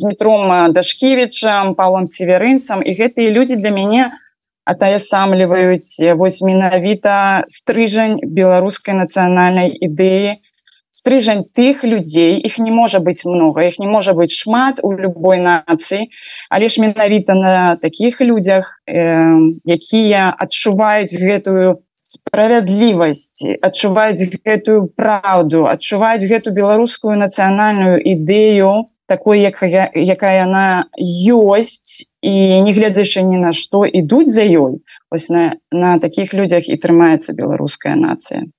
Дмітром Дашкевічам, Павлом Северынцам, і гэтыя людзі для мяне атаясамліваюць вось менавіта стрыжань беларускай нацыянальнай ідэі, стрыжань тых людзей, іх не можа быць многа, іх не можа быць шмат у любой нацыі, але ж менавіта на такіх людзях, якія адчуваюць гэтую справядлівасць, адчуваюць гэтую праўду, адчуваюць гэту беларускую нацыянальную ідэю, такой, якая яна ёсць, і не гледзячы ні на што ідуць за ёй. Вось на такіх людзях і трымаецца беларуская нацыя.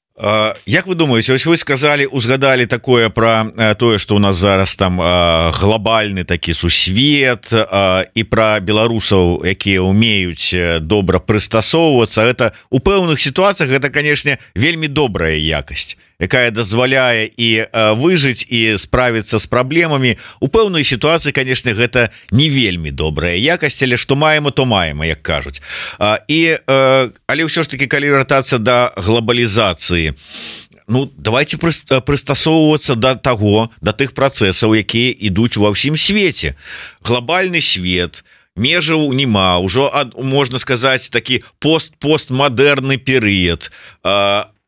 Як вы думаеце, ось вы сказали, узгадали такое про тое, что у нас зараз там глобальны такі сусвет, і про беларусаў, якія умеюць добра прыстасоўвацца. Это у пэўных ситуациях это, конечно, вельмі добрая якасць, якая дазваляе і выжыць і справіцца з праблемамі. У пэўнай сітуацыі, конечно, гэта не вельмі добрая якасць, але што маема, то маема, як кажуць. Але ўсё ж таки, калі вяртацца да глобалізацыі, ну давайте прыстасоўвацца да таго, да тых працэсаў, якія ідуць ва ўсім свеце. Глобальны свет, межаў няма, ўжо можна сказаць такі постмадэрны перыяд.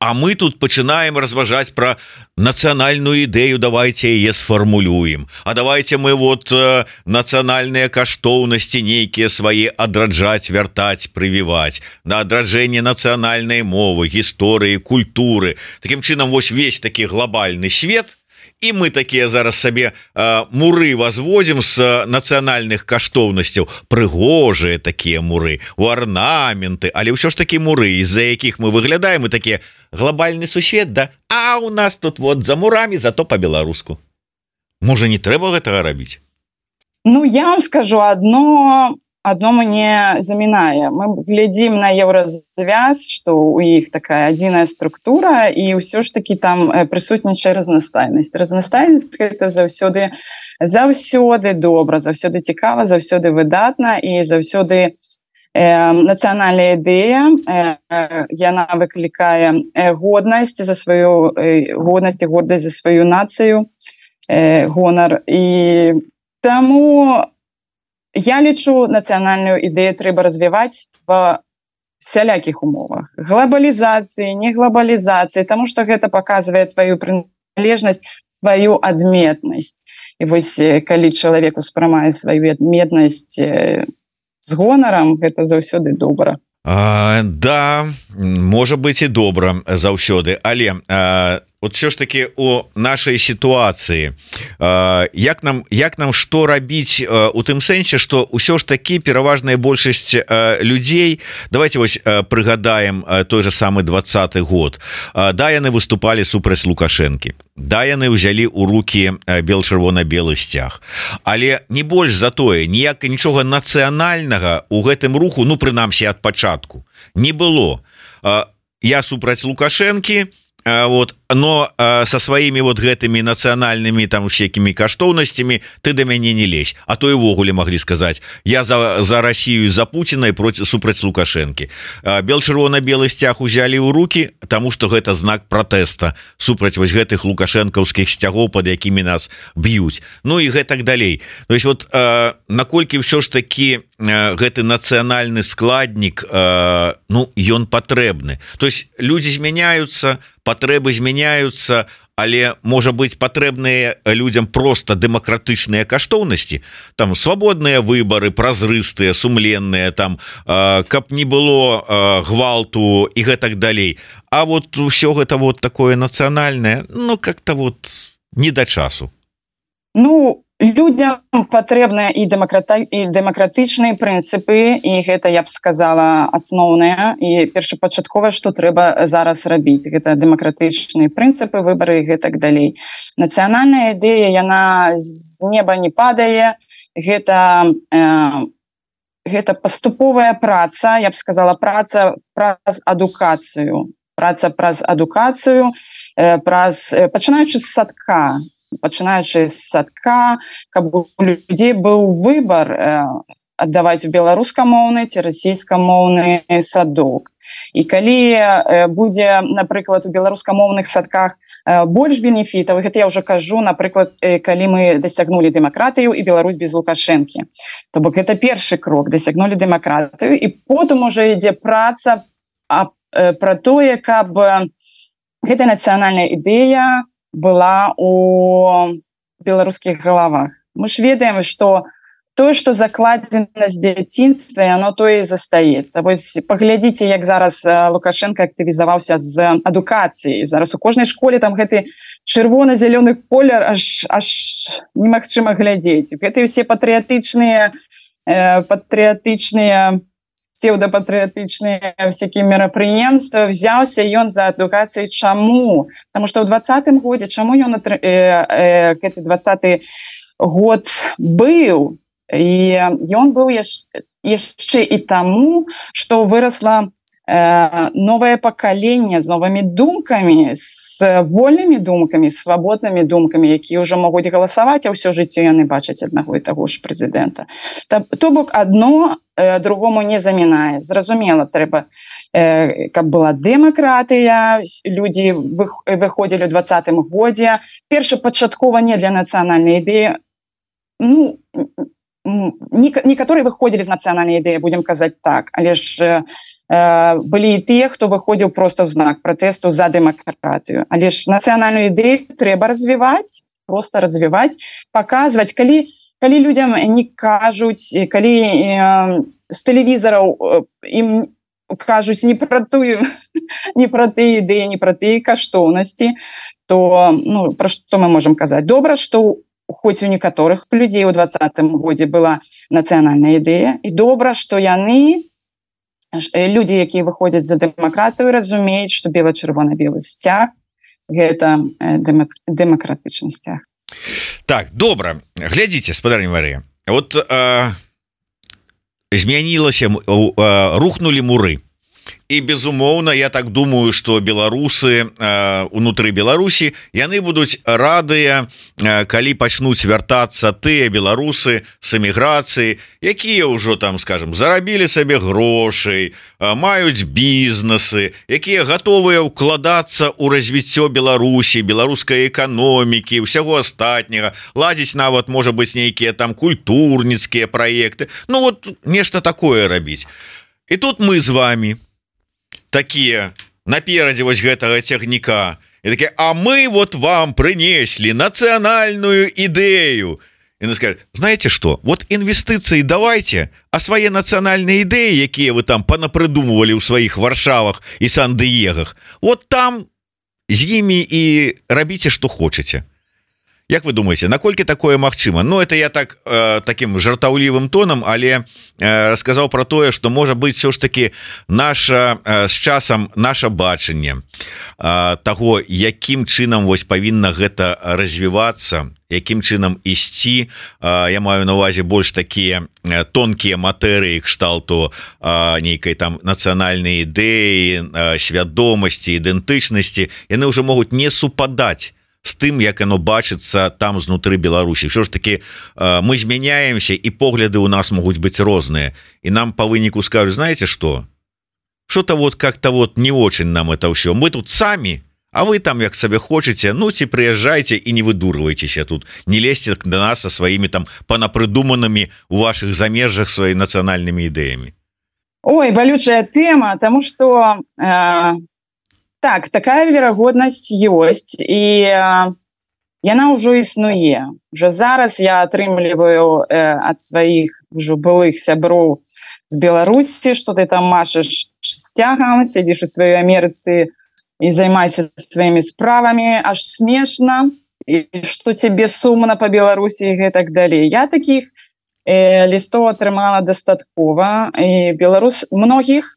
А мы тут пачынаем разважаць пра нацыянальную ідэю, давайте яе сфармулюем. А давайте мы вот нацыянальныя каштоўнасці нейкія свае адраджаць, вяртаць, прывіваць, на адраджэнне нацыянальнай мовы, гісторыі, культуры. Такім чынам, вось весь такі глобальны свет, і мы такія зараз сабе муры возводзім з нацыянальных каштоўнасцяў, прыгожыя такія муры, у арнаменты, але ўсё ж такі муры, з-за якіх мы выглядаем, і такія глобальны сусвет, да? А у нас тут вот за мурамі, зато по-беларуску. Можа, не трэба гэтага рабіць? Ну, я вам скажу, одно мне замінае. Мы глядзім на еўразвяз, што у іх такая адзіная структура, і ўсё ж таки там прысутнічае разнастайнасць. Разнастайнасць гэта заўсёды добра, заўсёды цікава, заўсёды выдатна, і заўсёды нацыянальная ідэя, яна выклікае годнасць за сваю годнасць і гордасць за сваю нацыю, гонар. І таму я лічу, нацыянальную ідэю трэба развіваць ва всялякіх умовах. Глобалізацыі, не глобалізацыі, таму што гэта паказвае тваю прыналежнасць, тваю адметнасць. І вось калі чалавек успрымае сваю адметнасць з гонарам, гэта заўсёды добра. Да, можа быць і добра заўсёды, але вот все ж таки у нашай сітуацыі як нам што рабіць у тым сэнсе, што ўсё ж таки пераважная большасць людзей, давайте вось прыгадаем той же самы 20-й год, да, яны выступалі супраць Лукашэнкі, да, яны ўзялі ў рукі бел-чырвона-белы сцяг, але не больш за тое, нічога нацыянальнага у гэтым руху, ну прынамсі ад пачатку не было. Я супраць Лукашэнкі, вот, но со сваімі вот гэтымі нацыянальнымі там усякімі каштоўнасцямі ты да мяне не лезь, а то івогуле маглі сказаць я за Россию, за Путина и супраць Лукашэнкі. Бел-чырвона-белы сцяг узялі ў руки, тому что гэта знак протэста супраць вось гэтых лукашэнкаўскіх сцягоў, под якімі нас б'юць, ну и гэтак далей. То есть вот наколькі ўсё ж таки гэты нацыянальны складнік, ну ён патрэбны, то есть люди змяняются, патрэбы змяняются, але можа быть патрэбныя людям просто дэмакратычныя каштоўнасці, там свабодныя выборы, празрыстыя, сумленныя, там каб не было гвалту і гэтак далей. А вот все гэта вот такое нацыянальнае, ну как-то вот не да часу. Ну людям патрэбныя і дэмакратычныя прынцыпы, і гэта, я б сказала, асноўнае і першапачатковае, што трэба зараз рабіць. Гэта дэмакратычныя прынцыпы, выбары і гэтак далей. Нацыянальная ідэя, яна з неба не падае, гэта паступовая праца, я б сказала, праца праз адукацыю, пачынаючы з садка, каб у людзей быў выбар аддаваць беларускамоўны ці расійскамоўны садок. І калі будзе, напрыклад, у беларускамоўных садках больш бенефітаў, гэта я ўжо кажу, напрыклад, калі мы дасягнулі дэмакратыю і Беларусь без Лукашэнкі. То бок гэта першы крок, дасягнулі дэмакратыю, і потым ужо ідзе праца пра тое, каб гэта нацыянальная ідэя была у беларускіх галавах. Мы ж ведаем, што тое, што закладзена з дзяцінства, яно тое і застаецца. Вось паглядзіце, як зараз Лукашенко актывізаваўся з адукацыяй. Зараз у кожнай школе там гэты чырвона-зялёны колер аж немагчыма глядзець. Гэтыя ўсе патрыятычныя псевдопатрыятычныя всякие мерапрыемствы, взяўся ён за адукацыяй. Чаму? Потому что ў 20-м годзе, чаму ён гэты 20-й год быў? І ён быў яшчэ і таму, што вырасла новае пакаленне з новымі думкамі, з вольнымі думкамі, свабоднымі думкамі, якія ўжо могуць галасаваць, а ўсё жыццё яны бачаць аднаго і таго ж прэзідэнта. То бок адно другому не замінае. Зразумела, трэба, каб была дэмакратыя, людзі выходзілі ў 20-м годзе, першапачаткова не для нацыянальнай ідэі, ну, некаторыя выходзілі з нацыянальнай ідэі, будзем казаць так, але ж былі і тыя, хто выходзіў проста ў знак пратэсту за дэмакратыю. Але ж нацыянальную ідэю трэба развіваць, проста развіваць, паказваць, калі людзям не кажуць, калі з тэлевізараў ім кажуць не пра тыя ідэі, не пра тыя каштоўнасці, то ну, пра што мы можам казаць? Добра, што хоць у некаторых людзей у 20-м годзе была нацыянальная ідэя, і добра, што яны, людзі, якія выходзяць за дэмакратыю, разумеюць, што бела-чырвона-белы сцяг гэта дэмакратычны сцяг. Так, добра. Глядзіце, спадарня Марыя, вот змянілася, рухнулі муры. І безумоўна, я так думаю, што беларусы унутры Беларусі, яны будуць радыя, калі пачнуць вяртацца тыя беларусы з эміграцыі, якія ўжо там, скажем, зарабілі сабе грошай, маюць бізнесы, якія гатовыя ўкладацца ў развіццё Беларусі, беларускай эканомікі, ўсяго астатняга, ладзіць нават, можа быць, нейкія там культурніцкія праекты, ну вот нешта такое рабіць. І тут мы з вами такие наперадзе вось гэтага цягніка і такие, а мы вот вам принесли национальную идею. И она скажет, знаете что, вот инвестиции давайте, а свои национальные идеи, якія вы там понапридумывали у своих Варшавах и Сан-Диегах, вот там з ими и робите, что хотите. Як вы думаете, наколькі такое магчыма? Ну это я так таким жартаўлівым тонам, але расказаў про тое, что можа быть все ж таки наша з часам наше бачанне того, якім чынам вось павінна гэта развівацца, якім чынам ісці. Я маю на увазе больш такія тонкія матэрыі кшталту нейкай там нацыянальнай ідэі, свядомасці, ідэнтычнасці, яны ўжо могуць не супадаць з тым, як оно бачыцца там знутры Беларусі. Все ж таки мы змяняемся, і погляды у нас могуць быць розныя, і нам по выніку скажут: знаете что-то вот как-то вот не очень нам это все, мы тут сами, а вы там як себе хочете, ну ці приезжайте и не выдурывайтесь тут, не лезьте до нас со своими там понапридуманными у ваших замежжах своими национальными идеями. Ой, болючая тема, потому что так, такая верагоднасць ёсць, і яна ўжо існуе. Уже зараз я атрымліваю ад сваіх ўжо былых сяброў з Беларусі, што ты там машаш сцягам, сядзіш у сваёй Амерыцы і займайся сваімі справамі, аж смешна, і што цябе сумна па Беларусі і гэтак далей. Я такіх лістоў атрымала дастаткова, і многіх,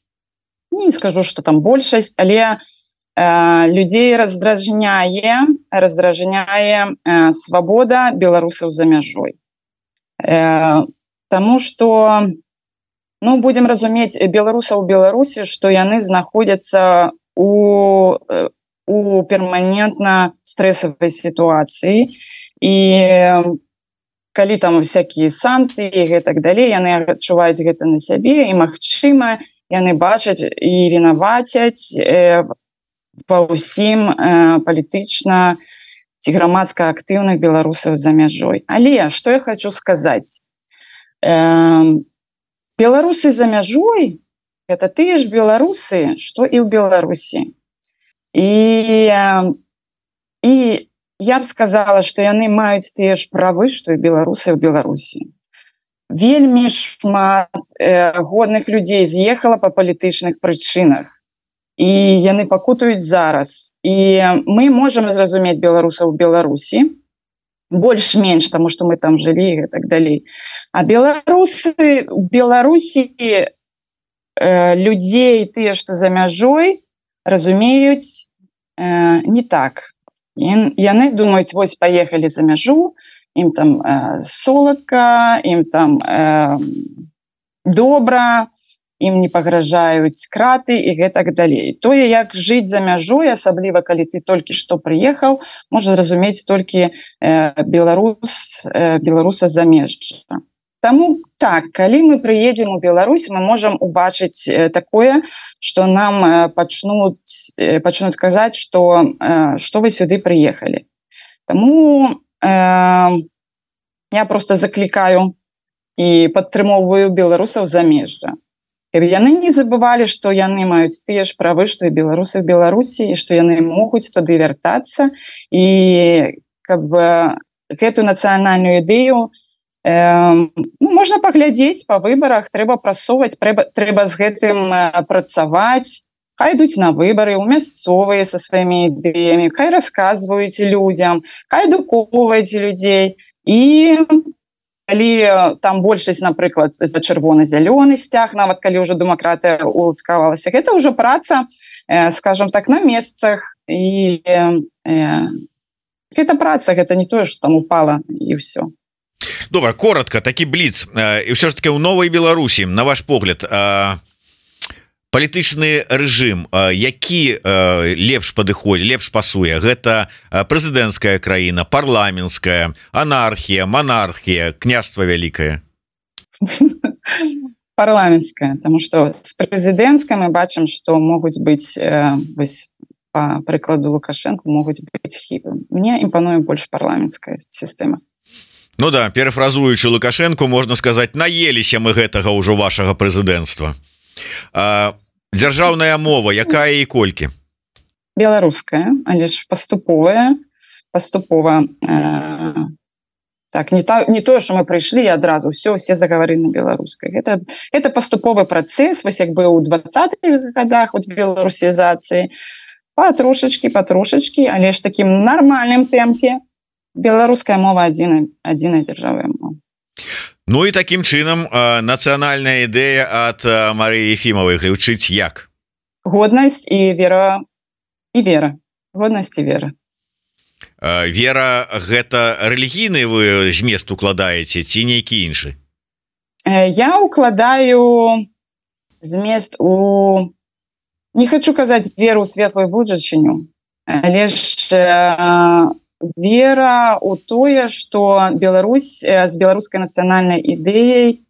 не скажу, што там большасць, але людзей раздражняе свабода беларусаў за мяжой. Таму што, ну, будзем разумець беларусаў у Беларусі, што яны знаходзяцца у перманентна стрэсавай сітуацыі, і калі там всякія санкцыі і гэтак далей, яны адчуваюць гэта на сябе, і магчыма, яны бачаць і вінавацяць па ўсім палітычна ці грамадска актыўных беларусаў за мяжой. Але што я хочу сказаць, беларусы за мяжой гэта тыя ж беларусы, што і ў Беларусі. І я б сказала, што яны маюць тыя ж правы, што і беларусы ў Беларусі. Вельмі шмат годных людзей з'ехала па палітычных прычынах, і яны пакутаюць зараз. І мы можам зразумець беларусаў у Беларусі больш-менш, таму што мы там жылі і так далей. А беларусы у Беларусі людзей тыя, што за мяжой, разумеюць не так. Яны думаюць: вось паехалі за мяжу, ім там соладка, ім там добра, ім не пагражаюць краты і гэтак далей. Тое, як жыць за мяжой, асабліва калі ты толькі што прыехаў, можа зразумець толькі беларуса замежжа. Таму так, калі мы прыедзем у Беларусь, мы можам убачыць такое, што нам пачнуць казаць, што вы сюды прыехалі. Таму я просто заклікаю і падтрымоўваю беларусаў замежжа. Каб яны не забывалі, што яны маюць тыя ж правы, што і беларусы ў Беларусі, і што яны могуць туды вяртацца, і каб гэтую нацыянальную ідэю можна паглядзець па выбарах, трэба прасоўваць, трэба з гэтым працаваць. Хай ідуць на выбары ў мясцовыя са сваімі ідэямі, хай расказваюць людзям, хай адукоўваюць людзей. І калі там большасць, напрыклад, за чырвона-зялёны сцяг, нават калі ўжо дэмакратыя уладкавалася, гэта ўжо праца, скажам так, на месцах. І гэта праца, гэта не тое, што там упала і ўсё. Добра, коротко, такі бліц. І ўсё ж таки ў новай Беларусі, на ваш погляд, палітычны рэжым, які лепш падыходзіць, лепш пасуе? Гэта прэзідэнцкая краіна, парламенцкая, анархія, монархія, княства вялікае? Парламенцкая, таму што з прэзідэнцкай мы бачым, што могуць быць, вось па прыкладу Лукашенко, могуць быць хібы. Мне імпануе больш парламенцкая сістэма. Ну да, перафразуючы Лукашенко, можна сказаць: наеліся мы гэтага ўжо вашага прэзідэнцтва. Дзяржаўная мова, якая і колькі? Беларуская, але ж паступова. Так, не тое, што мы прыйшлі і адразу все загаварылі на беларускай. Гэта паступовы працэс, вось як быў у 20-х годах беларусізацыі, патрошачкі, але ж такім нармальным тэмпе. беларуская мова адзіная дзяржавая мова. Ну і такім чынам нацыянальная ідэя ад Марыі Ефімавай гучыць як? Годнасць і вера. Годнасць і вера. Вера гэта рэлігійны вы змест укладаеце ці нейкі іншы? Я укладаю змест у, не хочу казаць веру ў светлую будучыню, але ж вера ў тое, што Беларусь з беларускай нацыянальнай ідэяй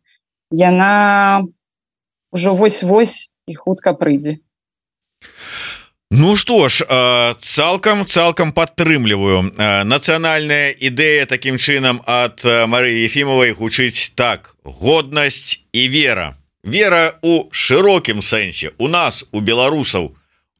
яна ўжо вось-вось і хутка прыйдзе. Ну што ж, цалкам падтрымліваю. Нацыянальная ідэя такім чынам ад Марыі Ефімавай гучыць так: годнасць і вера. Вера у шырокім сэнсе, у нас, у беларусаў,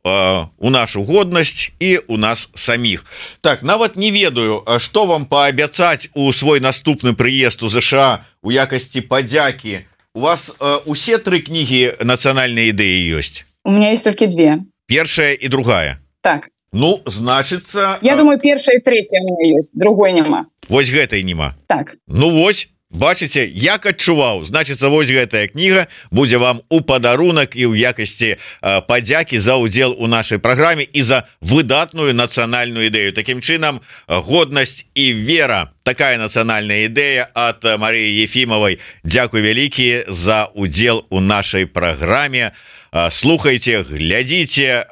у нашу годнасць і у нас саміх. Так, нават не ведаю, што вам паабяцаць у свой наступны прыезд у ЗША у якасці падзякі. У вас усе 3 кнігі нацыянальнай ідэі ёсць? У меня есть только 2. Першая і другая? Так. Ну, значыцца... Я думаю, першая і третья у меня есть, другой няма. Вось гэтай няма? Так. Ну вось, бачыце, як адчуваў, значыцца, вось гэтая кніга будзе вам у падарунак і ў якасці падзякі за ўдзел у нашай праграме і за выдатную нацыянальную ідэю. Такім чынам, годнасць і вера, такая нацыянальная ідэя ад Марыі Ефімавай. Дзякуй вялікі за ўдзел у нашай праграме. Слухайце, глядзіце,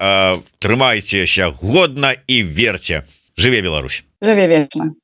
трымайцеся годна і верце. Жыве Беларусь. Жыве вечна.